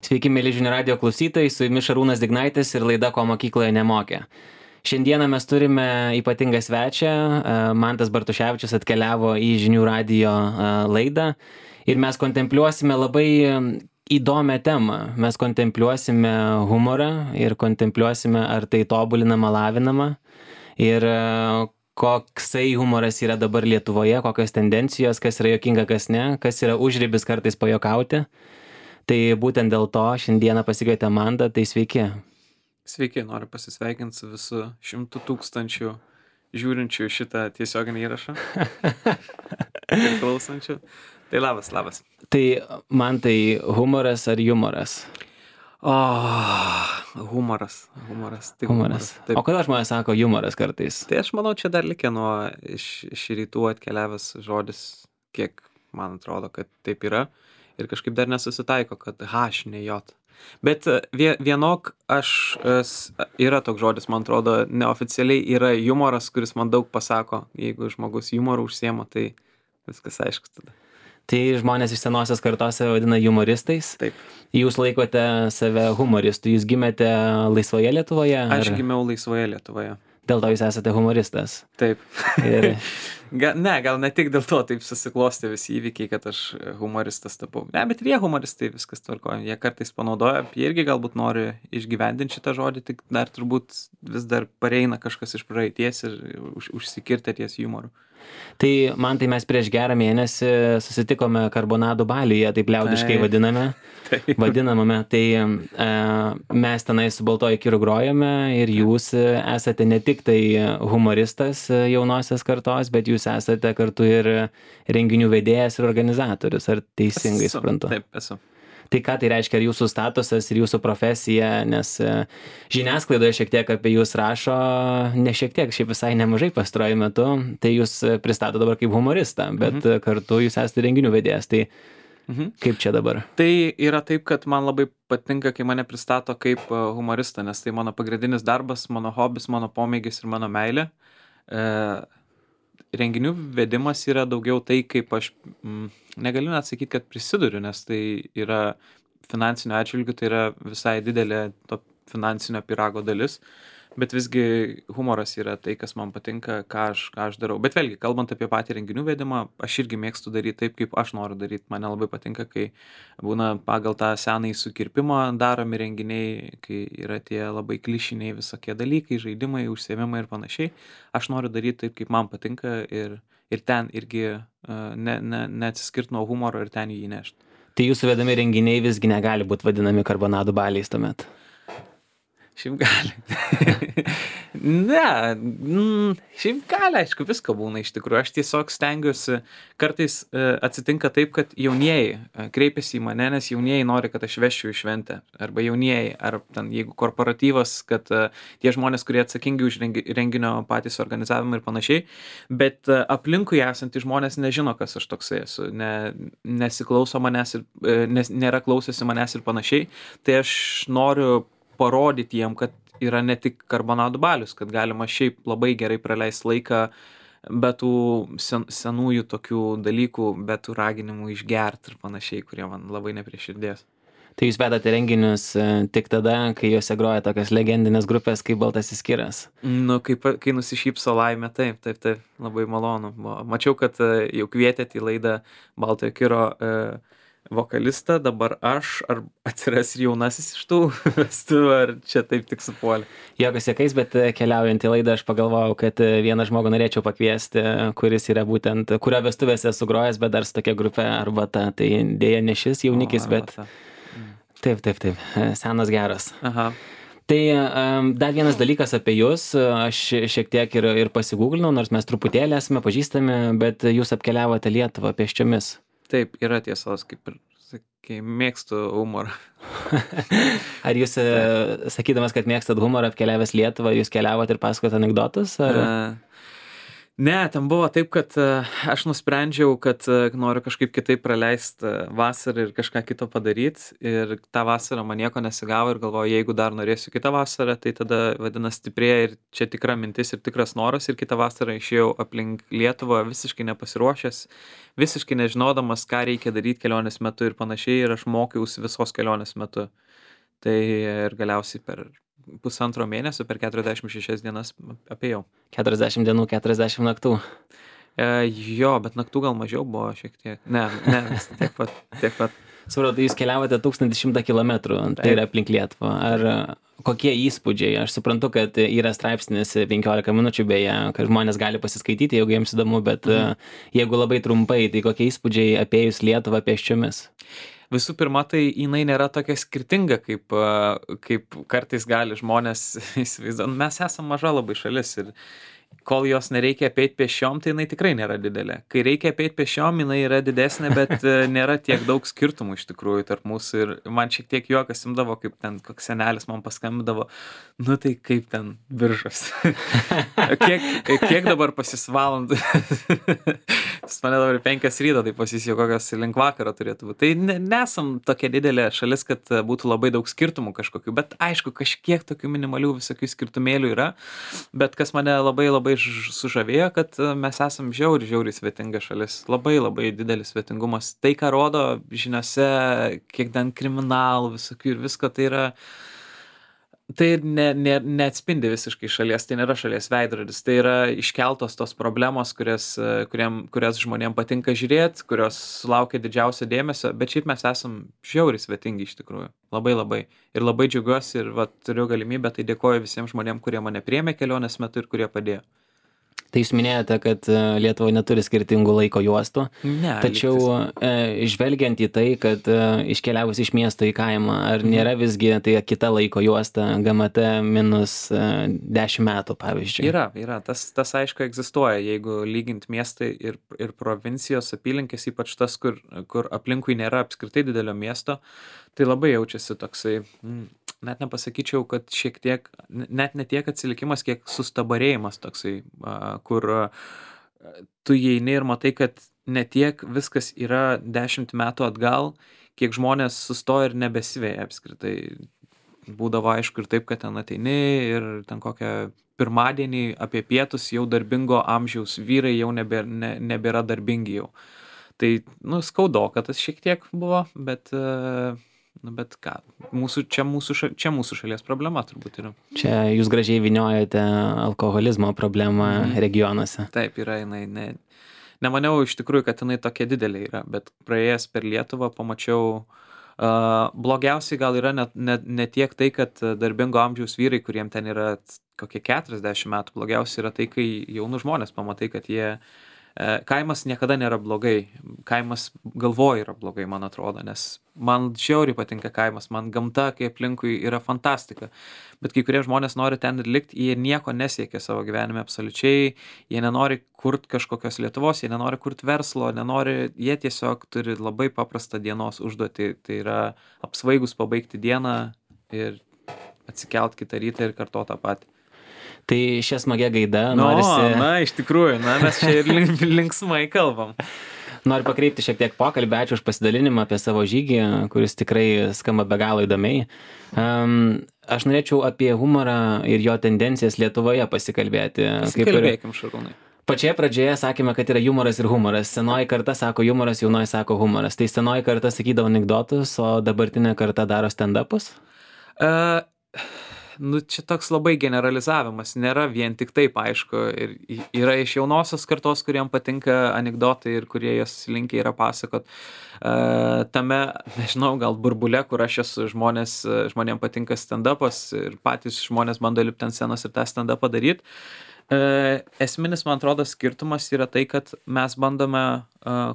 Sveiki, mėly žinių radio klausytojai, su jumis Šarūnas Dignaitis ir laida Ko mokykloje nemokė. Šiandieną mes turime ypatingą svečią, Mantas Bartuševičius atkeliavo į žinių radio laidą ir mes kontempliuosime labai įdomią temą. Mes kontempliuosime humorą ir kontempliuosime, ar tai tobulinama, lavinama ir koksai humoras yra dabar Lietuvoje, kokios tendencijos, kas yra juokinga, kas ne, kas yra užribis kartais pajuokauti. Tai būtent dėl to šiandieną pasikvietė Mantą, tai sveiki. Sveiki, noriu pasisveikinti su visu 100 000 žiūrinčių šitą tiesioginį įrašą ir klausančių. Tai labas. Tai Mantai, humoras ar jumoras? Humoras. Tai humoras. O kodėl žmonės sako jumoras kartais? Tai aš manau, čia dar likė nuo iš rytų atkeliavęs žodis, kiek man atrodo, kad taip yra. Ir kažkaip dar nesusitaiko, kad H, ne J. Bet vienok yra toks žodis, man atrodo, neoficialiai yra jumoras, kuris man daug pasako. Jeigu žmogus humorų užsiema, tai viskas aišku tada. Tai žmonės iš senosios kartos vadina humoristais. Taip. Jūs laikote save humoristų. Jūs gimėte laisvoje Lietuvoje? Aš gimiau laisvoje Lietuvoje. Dėl to jūs esate humoristas. Taip. Ir Gal ne tik dėl to taip susiklostė visi įvykiai, kad aš humoristas tapau. Ne, bet ir jie humoristai, viskas tvarkoja. Jie kartais panaudoja, jie irgi galbūt nori išgyvendinti šitą žodį, tik dar turbūt vis dar pareina kažkas iš praeities ir užsikirtę ties humoru. tai man tai mes prieš gerą mėnesį susitikome Karbonadų Baliuje, taip liaudiškai vadiname. Vadinamame. Tai mes tenai su Baltoju Kiru grojame ir jūs esate ne tik tai humoristas jaunosios kartos, bet jūs esate kartu ir renginių vedėjas ir organizatorius. Ar teisingai suprantu? Taip, esu. Tai ką tai reiškia, ar jūsų statusas ir jūsų profesija, nes žiniasklaidoje šiek tiek apie jūs rašo, ne šiek tiek, šiaip visai nemažai pastaruoju metu, tai jūs pristato dabar kaip humoristą, bet kartu jūs esate renginių vedėjas. Tai kaip čia dabar? Tai yra taip, kad man labai patinka, kai mane pristato kaip humoristą, nes tai mano pagrindinis darbas, mano hobis, mano pomėgis ir mano meilė. Renginių vedimas yra daugiau tai, kaip aš negaliu net sakyti, kad prisiduriu, nes tai yra finansinio atžvilgių, tai yra visai didelė to finansinio pyrago dalis, bet visgi humoras yra tai, kas man patinka, ką aš darau. Bet vėlgi, kalbant apie patį renginių vedimą, aš irgi mėgstu daryti taip, kaip aš noriu daryti. Mane labai patinka, kai būna pagal tą senąjį sukirpimą daromi renginiai, kai yra tie labai klišiniai visokie dalykai, žaidimai, užsiėmimai ir panašiai. Aš noriu daryti taip, kaip man patinka ir ten irgi neatsiskirt nuo humoro ir ten jį įnešti. Tai jūsų vedami renginiai visgi negali būti vadinami Karbonadų Baliais tuomet? Šiaip gali. Šiaip gali, aišku, visko būna iš tikrųjų. Aš tiesiog stengiuosi, kartais atsitinka taip, kad jaunieji kreipiasi į mane, nes jaunieji nori, kad aš vežčiau į šventę. Arba jaunieji, ar ten, jeigu korporatyvas, kad tie žmonės, kurie atsakingi už renginio patys organizavimą ir panašiai. Bet aplinkui esantys žmonės nežino, kas aš toksai esu. Nesiklauso manęs ir nėra klausęsi manęs ir panašiai. Tai aš noriu parodyti jiem, kad yra ne tik Karbonadų balius, kad galima šiaip labai gerai praleisti laiką be tų senųjų tokių dalykų, be tų raginimų išgerti ir panašiai, kurie man labai ne prie širdies. Tai jūs vedate renginius tik tada, kai juose groja tokias legendinės grupės kaip Baltasis Kiras? Kai nusišypso laimė, taip, labai malonu. Mačiau, kad jau kvietėte į laidą Baltojo Kiro vokalistą, dabar aš, ar atsiras ir jaunasis iš tų vestuvių, ar čia taip tik supuolė? Jokas jokais, bet keliaujant į laidą aš pagalvojau, kad vieną žmogų norėčiau pakviesti, kuris yra būtent, kurio vestuvėse esu grojęs, bet dar su tokia grupė Arbata, tai dėja ne šis jaunikis, bet taip, senas geras. Aha. Tai dar vienas dalykas apie jūs, aš šiek tiek ir pasigūglinau, nors mes truputėlį esame pažįstami, bet jūs apkeliavote Lietuvą pėsčiomis. Taip, yra tiesos, kaip ir sakai, mėgstu humorą. Ar jūs, sakydamas, kad mėgstat humorą, apkeliavęs Lietuvą, jūs keliavot ir pasakot anekdotus? Ar... Ne, ten buvo taip, kad aš nusprendžiau, kad noriu kažkaip kitaip praleisti vasarą ir kažką kito padaryti. Ir tą vasarą man nieko nesigavo ir galvoju, jeigu dar norėsiu kitą vasarą, tai tada vadinasi stiprėja ir čia tikra mintis ir tikras noras. Ir kitą vasarą išėjau aplink Lietuvą visiškai nepasiruošęs, visiškai nežinodamas, ką reikia daryti kelionės metu ir panašiai. Ir aš mokiausi visos kelionės metu. Tai ir galiausiai per pusantro mėnesio, per 46 dienas apėjau. 40 dienų, 40 naktų. Jo, bet naktų gal mažiau buvo šiek tiek. Ne, tiek pat, tiek pat. Supratau, jūs keliavote 1100 kilometrų, tai yra aplink Lietuvą. Ar kokie įspūdžiai? Aš suprantu, kad yra straipsnis 15 minučių beje, kad žmonės gali pasiskaityti, jeigu jiems įdomu, bet jeigu labai trumpai, tai kokie įspūdžiai apėjus Lietuvą pėsčiomis? Visų pirma, tai jinai nėra tokia skirtinga, kaip kartais gali žmonės įsivaizduoti. Mes esame maža labai šalis ir kol jos nereikia apeit pėsčiom, tai jinai tikrai nėra didelė. Kai reikia apeit pėsčiom, jinai yra didesnė, bet nėra tiek daug skirtumų iš tikrųjų tarp mūsų. Ir man šiek tiek juokas imdavo, kaip ten koks senelis man paskambindavo, nu tai kaip ten Biržos. kiek dabar pas jis valandų? Jis mane dabar 5 ryto, tai pas jis jau kokios link vakaro turėtų būti. Tai nesam tokia didelė šalis, kad būtų labai daug skirtumų kažkokių, bet aišku, kažkiek tokių minimalių visokių skirtumėlių yra. Bet kas mane labai sužavėjo, kad mes esam žiauriai svetinga šalis. Labai didelis svetingumas. Tai, ką rodo žiniose, kiek ten kriminalų visokių ir visko, tai yra... Tai neatspindi visiškai šalies, tai nėra šalies veidrodis, tai yra iškeltos tos problemos, kurias žmonėm patinka žiūrėti, kurios sulaukia didžiausio dėmesio, bet šiaip mes esam žiauriai svetingi iš tikrųjų, labai. Ir labai džiaugiuosi ir turiu galimybę, tai dėkoju visiems žmonėm, kurie mane priėmė kelionės metu ir kurie padėjo. Tai jūs minėjote, kad Lietuva neturi skirtingų laiko juostų, Ne, tačiau žvelgiant į tai, kad iškeliavus iš miesto į kaimą, ar nėra visgi tai kita laiko juosta GMT minus 10 metų, pavyzdžiui? Yra. Tas aišku egzistuoja, jeigu lygint miestai ir provincijos apylinkės, ypač tas, kur aplinkui nėra apskritai didelio miesto, tai labai jaučiasi toksai, net nepasakyčiau, kad šiek tiek, net ne tiek atsilikimas, kiek sustabarėjimas toksai, kur tu įeini ir matai, kad ne tiek viskas yra 10 metų atgal, kiek žmonės sustoja ir nebesiveja apskritai. Būdavo aišku ir taip, kad ten ateini ir ten kokią pirmadienį apie pietus jau darbingo amžiaus vyrai jau nebėra darbingi jau. Tai, skaudo, kad tas šiek tiek buvo, bet ką, čia mūsų šalies problema turbūt yra. Čia jūs gražiai vyniojate alkoholizmo problemą regionuose. Taip, yra jinai, nemaniau iš tikrųjų, kad jinai tokia didelė yra, bet praėjęs per Lietuvą pamačiau, blogiausiai gal yra ne tiek tai, kad darbingo amžiaus vyrai, kuriem ten yra kokie 40 metų, blogiausiai yra tai, kai jaunų žmonės pamatai, kad kaimas niekada nėra blogai, kaimas galvoje yra blogai, man atrodo, nes man žiauriai patinka kaimas, man gamta, kai aplinkui yra fantastika, bet kai kurie žmonės nori ten ir likti, jie nieko nesiekia savo gyvenime absoliučiai, jie nenori kurti kažkokios Lietuvos, jie nenori kurti verslo, jie tiesiog turi labai paprastą dienos užduotį, tai yra apsvaigus pabaigti dieną ir atsikelt kitą rytą ir kartoti tą patį. Tai šią smagią gaidą norisi... iš tikrųjų, mes čia ir linksmai kalbam. Noriu pakreipti šiek tiek pokalbį, ačiū už pasidalinimą apie savo žygį, kuris tikrai skamba be galo įdomiai. Aš norėčiau apie humorą ir jo tendencijas Lietuvoje pasikalbėti. Pasikalbėkim, Šarūnai. Pačioje pradžioje sakėme, kad yra jumoras ir humoras. Senoji karta sako jumoras, jaunoji sako humoras. Tai senoji karta sakydavo anekdotus, o dabartinė karta daro stand-upus? Čia toks labai generalizavimas, nėra vien tik taip, aišku, ir yra iš jaunosios kartos, kuriem patinka anekdotai ir kurie jas linkę yra pasakot. Tame, nežinau, gal burbule, kur aš esu, žmonėm patinka stand-upas ir patys žmonės bando lipti ant scenos ir tą stand-upą daryti. Esminis, man atrodo, skirtumas yra tai, kad mes bandome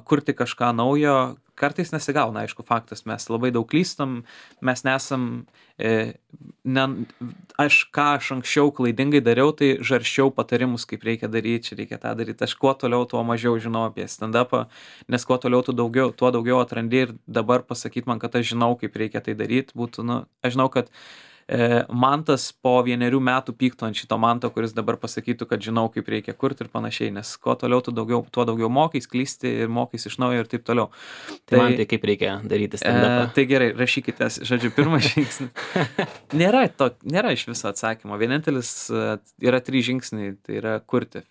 kurti kažką naujo, kartais nesigauna, aišku, faktas, mes labai daug klystam, mes nesam, aš anksčiau klaidingai dariau, tai žarščiau patarimus, kaip reikia daryti, čia reikia tą daryti, aš kuo toliau, tuo mažiau žinau apie stand-upą, nes kuo toliau, tuo daugiau atrandi ir dabar pasakyti man, kad aš žinau, kaip reikia tai daryti, būtų, aš žinau, kad Mantas po 1 metų pyktų ant šito Manto, kuris dabar pasakytų, kad žinau, kaip reikia kurti ir panašiai, nes kuo toliau tuo daugiau mokais, klysti ir mokais iš naujo ir taip toliau. Tai man tai kaip reikia daryti stand-upą? Tai gerai, rašykite, žodžiu, pirmas žingsnis. Nėra iš viso atsakymo. Vienintelis yra 3 žingsniai, tai yra kurti.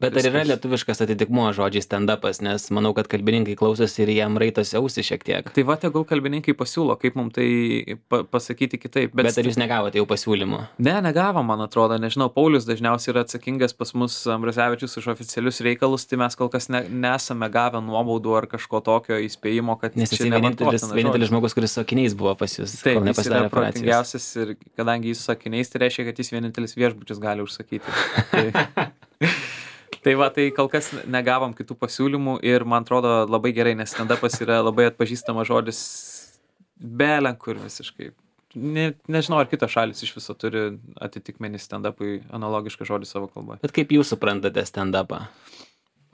Bet ar yra lietuviškas atitikmuo žodžiai stand-upas, nes manau, kad kalbininkai klausosi ir jam raitosi ausį šiek tiek. Tai va, tegul kalbininkai pasiūlo, kaip mums tai pasakyti kitaip. Bet ar jūs negavote jau pasiūlymų? Ne, negavo, man atrodo, nežinau, Paulius dažniausiai yra atsakingas pas mus Ambrazevičius už oficialius reikalus, tai mes kol kas nesame gavę nuobaudų ar kažko tokio įspėjimo, kad nes jis vienintelis žmogus, kuris su akiniais buvo pas jūs. Taip, jis yra protingiausias ir kadangi jis su akiniais, tai reiškia, kad jis vienintelis viešbučius gali užsakyti. Tai va, tai kol kas negavom kitų pasiūlymų ir man atrodo labai gerai, nes stand-upas yra labai atpažįstamas žodis belenkur visiškai. Nežinau, ar kitos šalis iš viso turi atitikmenį stand-upui analogišką žodį savo kalboje. Bet kaip jūs suprantate stand-upą?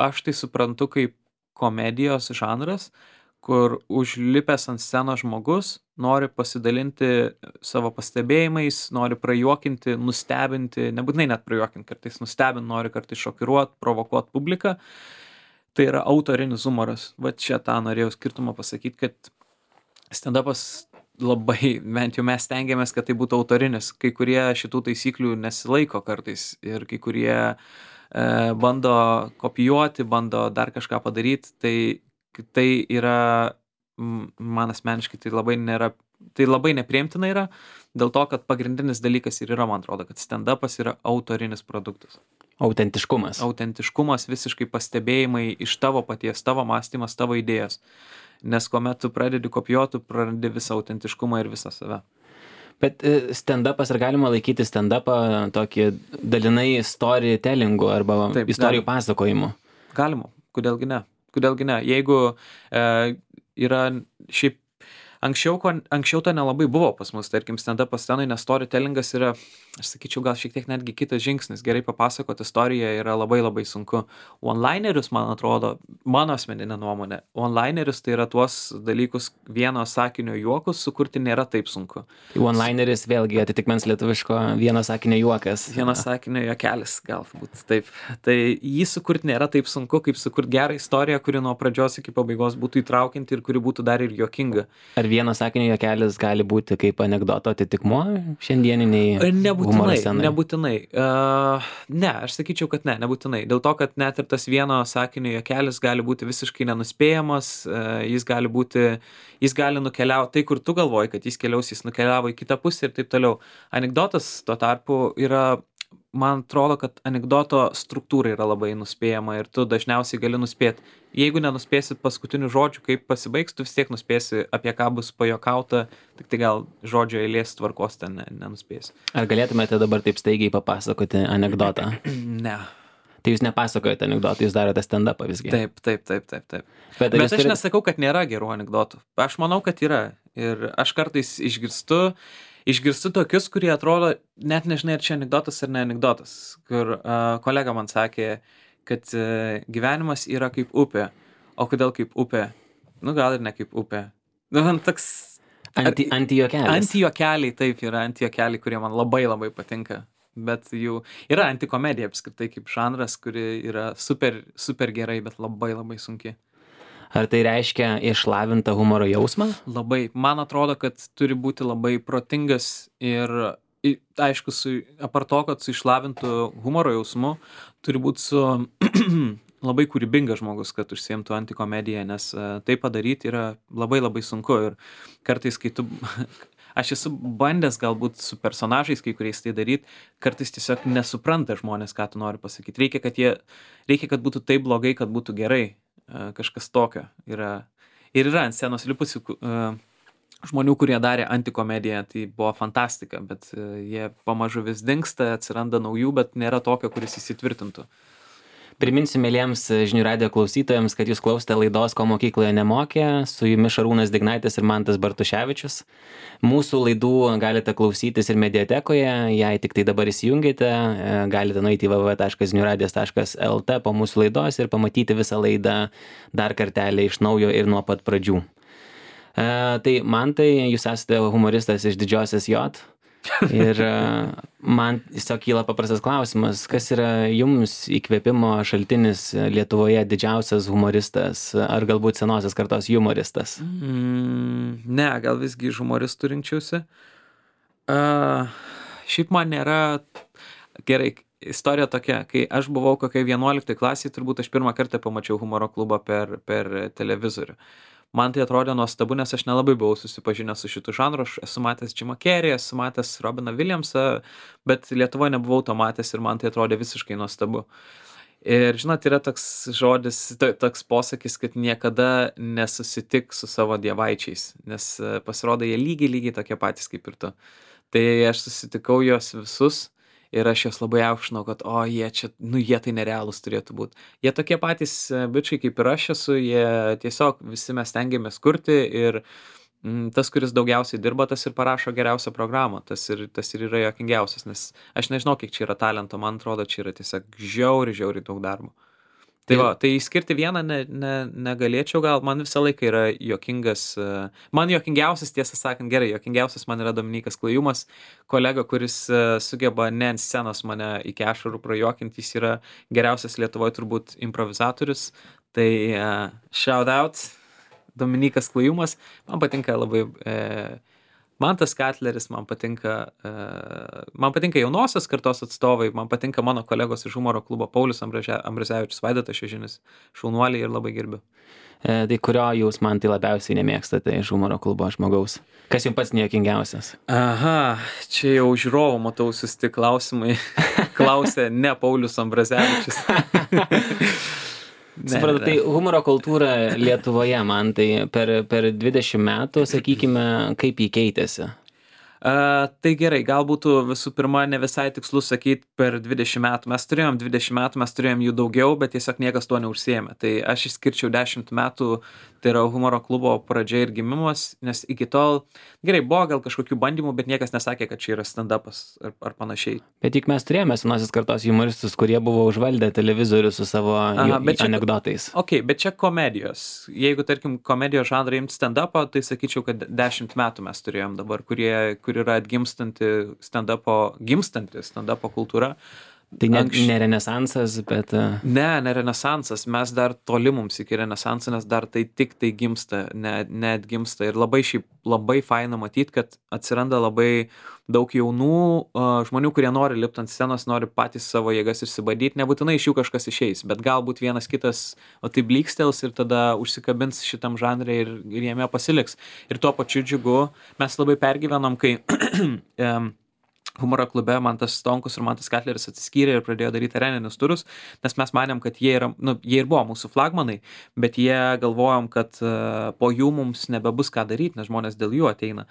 Aš tai suprantu kaip komedijos žanras, kur užlipęs ant scenos žmogus nori pasidalinti savo pastebėjimais, nori prajuokinti, nustebinti, nebūtinai net prajuokinti, kartais nustebinti, nori kartais šokiruoti, provokuoti publiką. Tai yra autorinis humoras. Va čia tą norėjau skirtumą pasakyti, kad stand-upas labai, bent jau mes stengiamės, kad tai būtų autorinis. Kai kurie šitų taisyklių nesilaiko kartais ir kai kurie bando kopijuoti, bando dar kažką padaryti, tai yra, man asmeniškai, tai labai nepriimtina yra, dėl to, kad pagrindinis dalykas ir yra, man atrodo, kad stand-upas yra autorinis produktas. Autentiškumas. Autentiškumas, visiškai pastebėjimai iš tavo paties, tavo mąstymas, tavo idėjas. Nes kuomet tu pradedi kopijuoti, tu prarandi visą autentiškumą ir visą save. Bet stand-upas, ar galima laikyti stand-upą tokį dalinai storytellingu arba taip, istorijų pasakojimu? Galima, kodėlgi ne. Jeigu yra šiaip anksčiau to nelabai buvo pas mus, tarkim, stand-upo scenai, nes storytellingas yra, aš sakyčiau, gal šiek tiek netgi kitas žingsnis. Gerai papasakoti istoriją yra labai labai sunku. One-linerius, man atrodo, mano asmeninė nuomonė, one-linerius tai yra tuos dalykus vieno sakinio juokus sukurti nėra taip sunku. One-lineris vėlgi atitikmens lietuviško vieno sakinio juokas. Vieno sakinio juokelis, galbūt taip. Tai jį sukurti nėra taip sunku, kaip sukurti gerą istoriją, kuri nuo pradžios iki pabaigos būtų įtraukianti ir kuri būtų dar ir juokinga. Ar vieno sakinio juokelis gali būti kaip anekdoto atitikmuo šiandieniniai humoro scenai? Nebūtinai. Ne, aš sakyčiau, kad nebūtinai. Dėl to, kad net ir tas vieno sakinio juokelis gali būti visiškai nenuspėjamas, jis gali nukeliauti tai, kur tu galvoji, kad jis keliaus, jis nukeliavo į kitą pusę ir taip toliau. Anekdotas tuo tarpu yra, man atrodo, kad anekdoto struktūra yra labai nuspėjama ir tu dažniausiai gali nuspėti. Jeigu nenuspėsit paskutinių žodžių, kaip pasibaigs, tu vis tiek nuspėsi, apie ką bus pajokauta, tik tai gal žodžio eilės tvarkos ten nenuspėsi. Ar galėtumėte dabar taip staigiai papasakoti anekdotą? Ne. Tai jūs nepasakojate anekdotą, jūs darote stand-upą visgi? Taip. Bet aš nesakau, kad nėra gerų anekdotų. Aš manau, kad yra. Ir aš kartais išgirstu tokius, kurie atrodo, net nežinai, ar čia anekdotas ar ne anekdotas. Kur kolega man sakė, kad gyvenimas yra kaip upė. O kodėl kaip upė? Nu, gal ir ne kaip upė. Nu, man toks... Antijuokelis. Antijuokeliai, taip, yra antijuokeliai, kurie man labai labai patinka. Bet jų yra antikomedija apskritai kaip žanras, kuri yra super, super gerai, bet labai labai sunki. Ar tai reiškia išlavintą humoro jausmą? Labai. Man atrodo, kad turi būti labai protingas ir, aišku, apart to, kad su išlavintų humoro jausmu, turi būti su labai kūrybingas žmogus, kad užsiimtų antikomediją, nes tai padaryti yra labai labai sunku. Ir kartais, kai aš esu bandęs galbūt su personažais kai kuriais tai daryti, kartais tiesiog nesupranta žmonės, ką tu nori pasakyti. Reikia, kad būtų taip blogai, kad būtų gerai. Kažkas tokio yra. Ir yra ant scenos lipusių žmonių, kurie darė antikomediją, tai buvo fantastika, bet jie pamažu vis dingsta, atsiranda naujų, bet nėra tokio, kuris įsitvirtintų. Priminsiu mieliems žinių radijo klausytojams, kad jūs klausite laidos Ko mokykloje nemokė, su jumis Šarūnas Dignaitis ir Mantas Bartuševičius. Mūsų laidų galite klausytis ir mediatekoje, jei tik tai dabar įsijungite, galite nueiti į www.žiniųradijas.lt po mūsų laidos ir pamatyti visą laidą dar kartelį iš naujo ir nuo pat pradžių. Tai Mantai, jūs esate humoristas iš Didžiosios J. Ir man tiesiog kyla paprastas klausimas, kas yra jums įkvėpimo šaltinis Lietuvoje didžiausias humoristas, ar galbūt senosios kartos humoristas? Ne, gal visgi iš humoristų rinkčiausi. Šiaip man nėra gerai. Istorija tokia, kai aš buvau kokiai 11 klasėje, turbūt aš pirmą kartą pamačiau humoro klubą per televizorių. Man tai atrodė nuostabu, nes aš nelabai buvau susipažinęs su šitų žanru. Aš esu matęs Jimą Carrey, esu matęs Robiną Williamsą, bet Lietuvoje nebuvau to matęs ir man tai atrodė visiškai nuostabu. Ir žinot, yra toks žodis, toks posakis, kad niekada nesusitik su savo dievaičiais, nes pasirodo jie lygiai tokie patys kaip ir tu. Tai aš susitikau juos visus. Ir aš juos labai aukštinau, kad, jie čia, jie tai nerealūs turėtų būti. Jie tokie patys bičiai kaip ir aš esu, jie tiesiog visi mes stengiamės kurti ir tas, kuris daugiausiai dirba, tas ir parašo geriausią programą, tas ir yra juokingiausias, nes aš nežinau, kiek čia yra talento, man atrodo, čia yra tiesiog žiauriai daug darbo. Tai va, tai skirti vieną negalėčiau, gal man visą laiką yra juokingas, man juokingiausias, tiesą sakant, gerai, juokingiausias man yra Dominykas Klajumas, kolega, kuris sugeba ne ant scenos mane iki ašarų prajuokinti, jis yra geriausias Lietuvoje turbūt improvizatorius, tai shout out, Dominykas Klajumas, man patinka labai Mantas Katleris, man patinka jaunosios kartos atstovai, man patinka mano kolegos iš humoro klubo Paulius Ambrazevičius, Vaidotas Šiožinis, šaunuoliai ir labai gerbiu. Tai kurio jūs man tai labiausiai nemėgstate iš humoro klubo žmogaus? Kas jums pats nejuokingiausias? Aha, čia jau žiūrovų matau susti klausimai. Klausė ne Paulius Ambrazevičius. Supratau, tai humoro kultūra Lietuvoje man tai per 20 metų, sakykime, kaip jį keitėsi? Tai gerai, gal būtų visų pirma ne visai tikslu sakyti per 20 metų. Mes turėjom 20 metų, mes turėjom jų daugiau, bet tiesiog niekas tuo neužsiėmė. Tai aš išskirčiau 10 metų, tai yra humoro klubo pradžia ir gimimas, nes iki tol, gerai, buvo gal kažkokių bandymų, bet niekas nesakė, kad čia yra stand-upas ar panašiai. Bet juk mes turėjome senosios kartos humoristus, kurie buvo užvaldę televizorių su savo anekdotais. Ok, bet čia komedijos. Jeigu, tarkim, komedijos žanrą imti stand-upą, tai sakyčiau, kad 10 metų mes turėjom dabar, kur yra atgimstanti stand-upo kultūra. Tai ne renesansas, bet... Ne renesansas, mes dar toli mums iki renesanso, nes dar tai tik tai gimsta, neatgimsta. Ir labai faina matyti, kad atsiranda labai daug jaunų žmonių, kurie nori lipti ant scenos, nori patys savo jėgas išsibadyti, nebūtinai iš jų kažkas išeis, bet galbūt vienas kitas tai blikstels ir tada užsikabins šitam žanre ir jame pasiliks. Ir tuo pačiu džiugu, mes labai pergyvenom, kai... humoro klube Mantas Stonkus ir Mantas Katleris atsiskyrė ir pradėjo daryti areninius turus, nes mes manėm, kad jie ir buvo mūsų flagmanai, bet jie galvojom, kad po jų mums nebebus ką daryti, nes žmonės dėl jų ateina.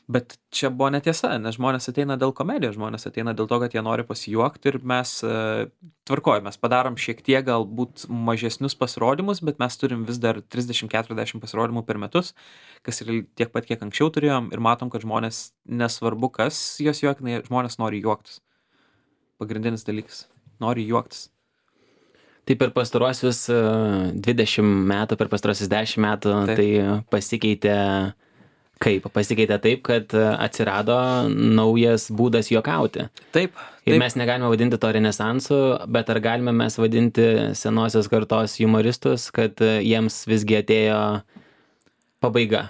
Bet čia buvo netiesa, nes žmonės ateina dėl komedijos, žmonės ateina dėl to, kad jie nori pasijuokti ir mes mes padarom šiek tiek galbūt mažesnius pasirodymus, bet mes turim vis dar 30-40 pasirodymų per metus, kas yra tiek pat, kiek anksčiau turėjom ir matom, kad žmonės, nesvarbu kas jos juokina, žmonės nori juoktis. Pagrindinis dalykas, nori juoktis. Tai per pastaruosius 20 metų, per pastaruosius 10 metų, tai pasikeitė... Kaip? Pasikeitė taip, kad atsirado naujas būdas juokauti. Taip. Ir mes negalime vadinti to renesansu, bet ar galime mes vadinti senosios kartos humoristus, kad jiems visgi atėjo pabaiga?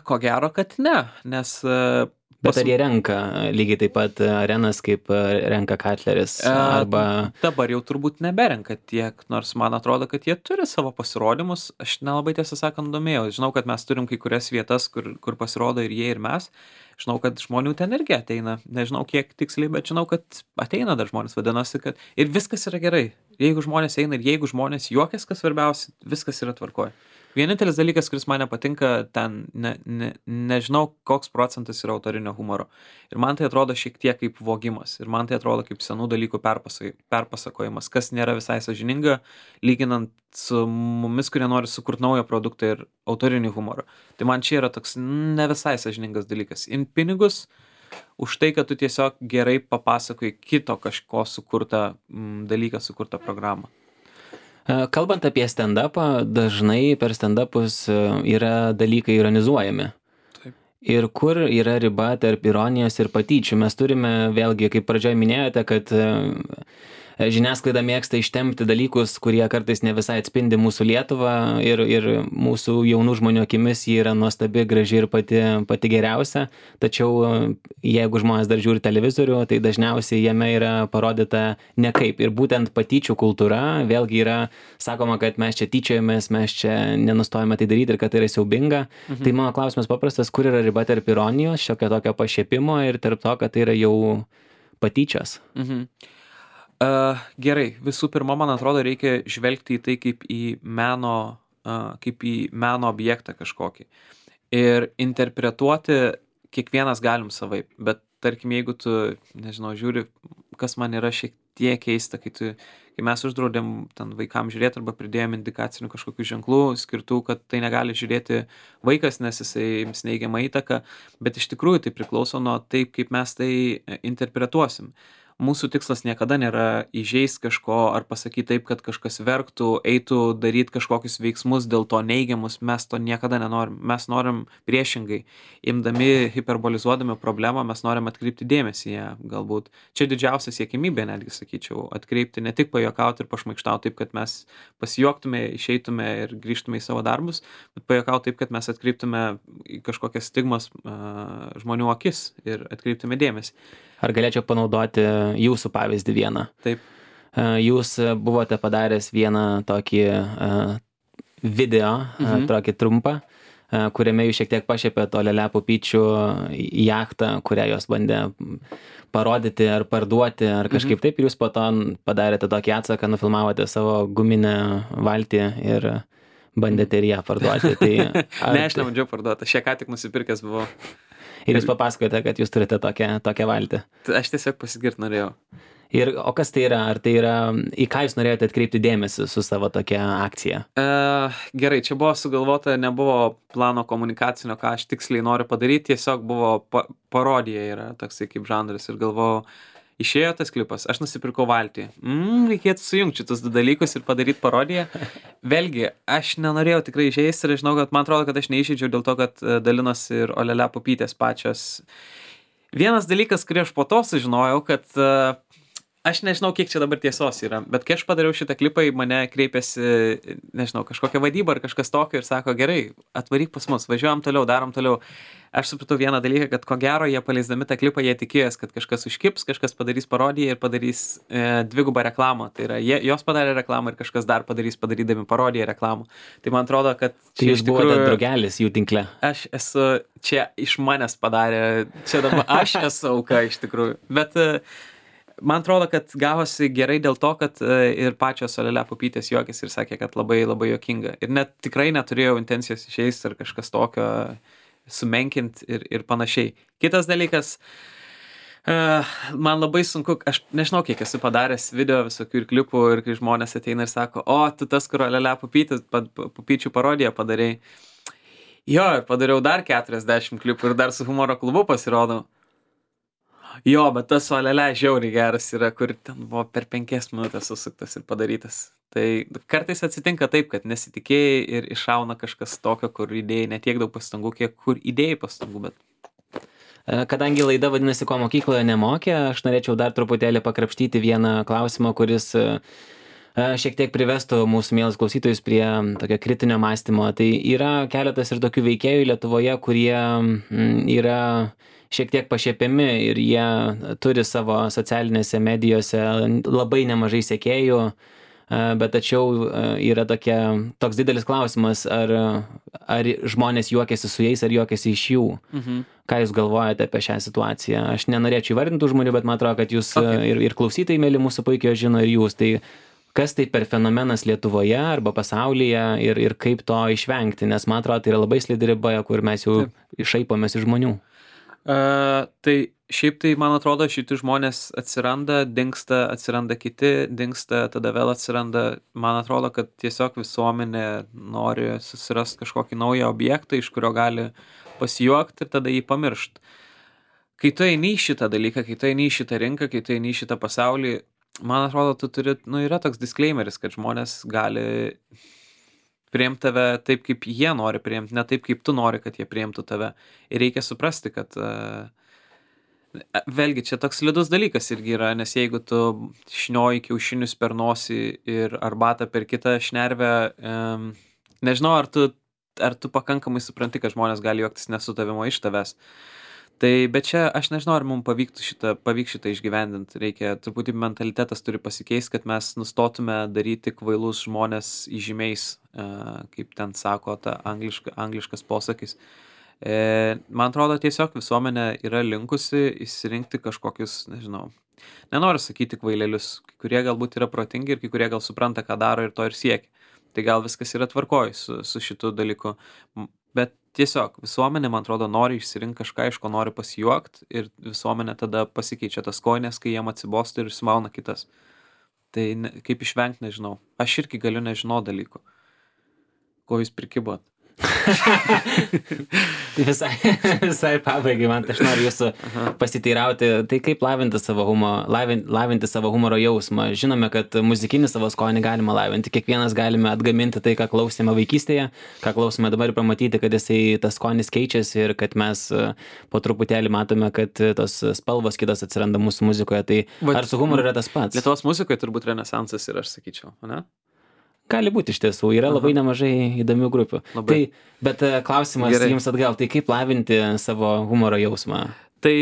Ko gero, kad ne, nes... Bet ar jie renka lygiai taip pat arenas, kaip renka Katleris? Arba... Dabar jau turbūt neberenka tiek, nors man atrodo, kad jie turi savo pasirodymus. Aš nelabai tiesą sakant domėjau. Žinau, kad mes turim kai kurias vietas, kur pasirodo ir jie, ir mes. Žinau, kad žmonių ten irgi ateina. Nežinau, kiek tiksliai, bet žinau, kad ateina dar žmonės, vadinasi, kad... Ir viskas yra gerai. Jeigu žmonės eina ir jeigu žmonės juokiasi, kas svarbiausia, viskas yra tvarkoj. Vienintelis dalykas, kuris man nepatinka, ten nežinau, koks procentas yra autorinio humoro. Ir man tai atrodo šiek tiek kaip vogimas. Ir man tai atrodo kaip senų dalykų perpasakojimas, kas nėra visai sąžininga, lyginant su mumis, kurie nori sukurti naują produktą ir autorinį humorą. Tai man čia yra toks ne visai sąžiningas dalykas. Imt pinigus už tai, kad tu tiesiog gerai papasakoji kito kažko sukurtą dalyką, sukurtą programą. Kalbant apie stand-upą, dažnai per stand-upus yra dalykai ironizuojami. Taip. Ir kur yra riba tarp ironijos ir patyčių? Mes turime, vėlgi, kaip pradžioje minėjote, kad žiniasklaida mėgsta ištempti dalykus, kurie kartais ne visai atspindi mūsų Lietuvą ir mūsų jaunų žmonių akimis ji yra nuostabi, graži ir pati geriausia. Tačiau jeigu žmonės dar žiūri televizorių, tai dažniausiai jame yra parodyta nekaip. Ir būtent patyčių kultūra, vėlgi yra sakoma, kad mes čia tyčiojamės, mes čia nenustojame tai daryti ir kad tai yra siaubinga. Tai mano klausimas paprastas, kur yra riba tarp ironijos, šiokio tokio pašiepimo ir tarp to, kad tai yra jau patyčios? Gerai, visų pirma, man atrodo, reikia žvelgti į tai kaip į meno objektą kažkokį. Ir interpretuoti kiekvienas galim savaip. Bet tarkim, jeigu tu, nežinau, žiūri, kas man yra šiek tiek keista, kai mes uždraudėm ten vaikams žiūrėti arba pridėjom indikacinių kažkokių ženklų skirtų, kad tai negali žiūrėti vaikas, nes jisai ims neigiamą įtaką, bet iš tikrųjų tai priklauso nuo taip, kaip mes tai interpretuosim. Mūsų tikslas niekada nėra įžeist kažko ar pasakyti taip, kad kažkas verktų, eitų daryti kažkokius veiksmus dėl to neigiamus, mes to niekada nenorim. Mes norim priešingai, imdami, hiperbolizuodami problemą, mes norim atkreipti dėmesį į ją galbūt. Čia didžiausia siekimybė, netgi sakyčiau, atkreipti, ne tik pajuokauti ir pašmaikštauti taip, kad mes pasijuoktume, išeitume ir grįžtume į savo darbus, bet pajuokauti taip, kad mes atkreiptume į kažkokias stigmas žmonių akis ir atkreiptume dėmesį. Ar galėčiau panaudoti jūsų pavyzdį vieną? Taip. Jūs buvote padaręs vieną tokį video, tokį trumpą, kuriame jūs šiek tiek pašiepėt Olele Pupyčių jachtą, kurią jos bandė parodyti ar parduoti, ar kažkaip taip, ir jūs po to padarėte tokį atsaką, nufilmavote savo guminę valtį ir bandėte ir ją parduoti. Tai ne, aš nebandžiau parduoti, aš ją ką tik nusipirkęs buvau. Ir jūs papasakote, kad jūs turite tokią valtį. Aš tiesiog pasigirt norėjau. O kas tai yra? Ar tai yra, į ką jūs norėjote atkreipti dėmesį su savo tokia akcija? Gerai, čia buvo sugalvota, nebuvo plano komunikacinio, ką aš tiksliai noriu padaryti, tiesiog buvo parodija yra toksai kaip žanras ir galvojau, išėjo tas klipas, aš nusipirkau valtį. Reikėtų sujungti šitus du dalykus ir padaryti parodiją. Vėlgi, aš nenorėjau tikrai išėjęs ir žinau, kad man atrodo, kad aš neišeidžiau dėl to, kad dalinosi ir Olele Pupytės pačios. Vienas dalykas, kurį aš po to sužinojau, kad aš nežinau, kiek čia dabar tiesos yra, bet kai aš padariau šitą klipą, į mane kreipėsi, nežinau, kažkokia vadyba ar kažkas tokio ir sako, gerai, atvaryk pas mus, važiuojam toliau, darom toliau. Aš supratau vieną dalyką, kad ko gero jie paleisdami tą klipą, jie tikėjęs, kad kažkas užkips, kažkas padarys parodiją ir padarys dvigubą reklamą. Tai yra, jos padarė reklamą ir kažkas dar padarydami parodiją reklamą. Tai man atrodo, kad tai jūs buvote draugelis jų tinkle. Aš esu, čia iš manęs padarė, čia dabar aš esu auka iš tikrųjų. Bet man atrodo, kad gavosi gerai dėl to, kad ir pačios Olele Pupytės juokėsi ir sakė, kad labai labai juokinga. Ir net tikrai neturėjau intencijos išeis ar kažkas tokio sumenkinti ir panašiai. Kitas dalykas, man labai sunku, aš nežinau, kiek esu padaręs video visokių ir klipų ir kai žmonės ateina ir sako, o, tu tas, kur Olele Pupyčių parodiją padarei. Jo, ir padariau dar 40 klipų ir dar su humoro klubu pasirodau. Jo, bet tas Olele žiauriai geras yra, kur ten buvo per 5 minutės susuktas ir padarytas. Tai kartais atsitinka taip, kad nesitikėjai ir iššauna kažkas tokio, kur įdėjai ne tiek daug pastangų, kiek kur įdėjai pastangų, bet... Kadangi laida vadinasi, ko mokykloje nemokė, aš norėčiau dar truputėlį pakrapštyti vieną klausimą, kuris šiek tiek privestų mūsų mielus klausytojus prie tokio kritinio mąstymo. Tai yra keletas ir tokių veikėjų Lietuvoje, kurie yra šiek tiek pašiepiami ir jie turi savo socialinėse medijose labai nemažai sekėjų, bet tačiau yra toks didelis klausimas, ar žmonės juokiasi su jais, ar juokiasi iš jų. Ką jūs galvojate apie šią situaciją? Aš nenorėčiau įvardinti žmonių, bet man atrodo, kad jūs ir klausytojai, mėly mūsų puikiai žino, ir jūs. Tai kas tai per fenomenas Lietuvoje arba pasaulyje ir kaip to išvengti? Nes man atrodo, tai yra labai slidi riba, kur mes jau išaipomės iš žmonių. Tai šiaip tai, man atrodo, šitie žmonės atsiranda, dingsta, atsiranda kiti, dingsta, tada vėl atsiranda. Man atrodo, kad tiesiog visuomenė nori susirasti kažkokį naują objektą, iš kurio gali pasijuokti ir tada jį pamiršti. Kai tu eini į šitą dalyką, kai tu eini į šitą rinką, kai tu eini į šitą pasaulį, man atrodo, tu turi, yra toks disclaimeris, kad žmonės gali priimt tave taip, kaip jie nori priimt, ne taip, kaip tu nori, kad jie priimtų tave. Ir reikia suprasti, kad vėlgi čia toks slidus dalykas irgi yra, nes jeigu tu šnioji kiaušinius per nosį ir arbatą per kitą šnervę, nežinau, ar tu pakankamai supranti, kad žmonės gali juoktis ne su tavimi, o iš tavęs. Tai, bet čia aš nežinau, ar mums pavyks šitą išgyvendinti. Reikia, truputį mentalitetas turi pasikeisti, kad mes nustotume daryti kvailus žmonės įžymiais, kaip ten sako ta angliškas posakis. Man atrodo, tiesiog visuomenė yra linkusi išsirinkti kažkokius, nežinau, nenoriu sakyti kvailelius, kai kurie galbūt yra protingi ir kai kurie gal supranta, ką daro ir to ir siekia. Tai gal viskas yra tvarkoj su šitu dalyku. Bet tiesiog visuomenė, man atrodo, nori išsirinkti kažką, iš ko nori pasijuokt ir visuomenė tada pasikeičia tas kojines, kai jiem atsibosta ir išsimauna kitas. Tai kaip išvengti, nežinau. Aš irgi galiu nežinot dalykų. Ko jūs prikibot? Tai visai pabaigai, man aš noriu jūsų pasiteirauti, tai kaip lavinti savo humoro jausmą. Žinome, kad muzikinį savo skonį galima lavinti, kiekvienas galime atgaminti tai, ką klausėme vaikystėje, ką klausome dabar ir pamatyti, kad tas skonis keičiasi ir kad mes po truputėlį matome, kad tos spalvos kitos atsiranda mūsų muzikoje. Tai ar su humoru yra tas pats? Lietuvos muzikoje turbūt renesansas ir aš sakyčiau, ne? Gali būti iš tiesų, yra labai nemažai įdomių grupių. Tai, bet klausimas jums atgal, tai kaip lavinti savo humoro jausmą? Tai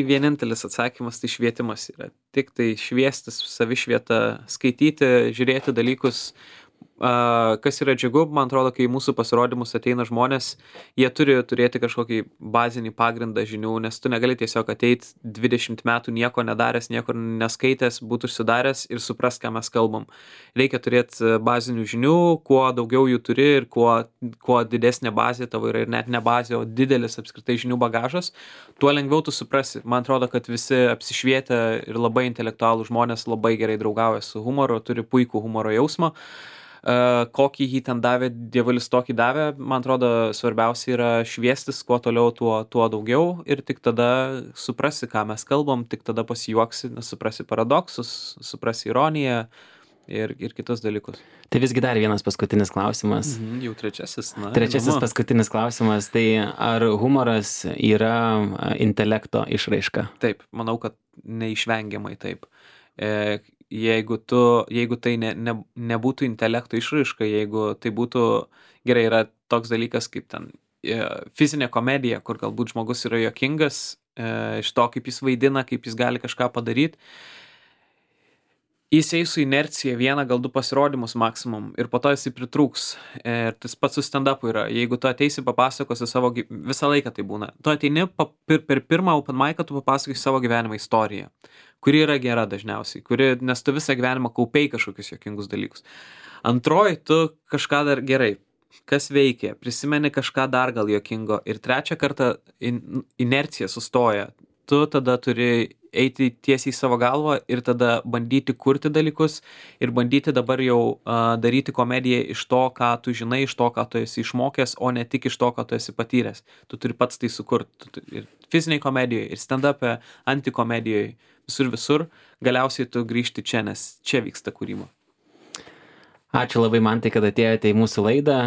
vienintelis atsakymas, tai švietimas yra. Tik tai šviestis, savišvieta, skaityti, žiūrėti dalykus. Kas yra džiugu, man atrodo, kai į mūsų pasirodymus ateina žmonės, jie turi turėti kažkokį bazinį pagrindą žinių, nes tu negali tiesiog ateiti 20 metų nieko nedaręs, nieko neskaitęs, būti užsidaręs ir suprast, ką mes kalbam. Reikia turėti bazinių žinių, kuo daugiau jų turi ir kuo didesnė bazė tavo yra ir net ne bazė, o didelis apskritai žinių bagažas, tuo lengviau tu suprasi. Man atrodo, kad visi apsišvietę ir labai intelektualų žmonės labai gerai draugauja su humoru, turi puikų humoro jausmą. Kokį jį ten davė, dievulis tokį davė, man atrodo, svarbiausia yra šviestis, kuo toliau, tuo daugiau ir tik tada suprasi, ką mes kalbam, tik tada pasijuoksi, suprasi paradoksus, suprasi ironiją ir kitus dalykus. Tai visgi dar vienas paskutinis klausimas. Jau trečiasis. Trečiasis paskutinis klausimas, tai ar humoras yra intelekto išraiška? Taip, manau, kad neišvengiamai taip. Jeigu tai nebūtų intelekto išraiška, jeigu tai būtų, gerai, yra toks dalykas kaip ten fizinė komedija, kur galbūt žmogus yra juokingas iš to, kaip jis vaidina, kaip jis gali kažką padaryti. Jis eis su inercija vieną, gal 2 pasirodymus maksimum ir po to jisai pritrūks. Ir tas pats su stand-upu yra. Jeigu tu ateisi papasakosi savo, visą laiką tai būna. Tu ateini per pirmą open mic'ą, tu papasakosi savo gyvenimo istoriją, kuri yra gera dažniausiai, nes tu visą gyvenimą kaupei kažkokius juokingus dalykus. Antroji, tu kažką dar gerai, kas veikia, prisimeni kažką dar gal juokingo ir trečią kartą inercija sustoja. Tu tada turi eiti tiesiai į savo galvą ir tada bandyti kurti dalykus ir bandyti dabar jau daryti komediją iš to, ką tu žinai, iš to, ką tu esi išmokęs, o ne tik iš to, ką tu esi patyręs. Tu turi pats tai sukurti. Ir fiziniai komedijoje, ir stand-up'e, antikomedijoje, visur, galiausiai tu grįžti čia, nes čia vyksta kūryba. Ačiū labai, Mantai, kad atėjote į mūsų laidą.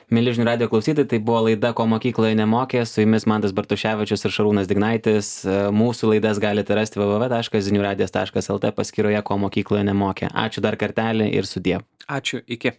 Mieli žinių radijo klausytojai, tai buvo laida Ko mokykloje nemokė, su jumis Mantas Bartuševičius ir Šarūnas Dignaitis. Mūsų laidas galite rasti www.ziniuradijas.lt paskyroje Ko mokykloje nemokė. Ačiū dar kartelį ir sudie. Ačiū, iki.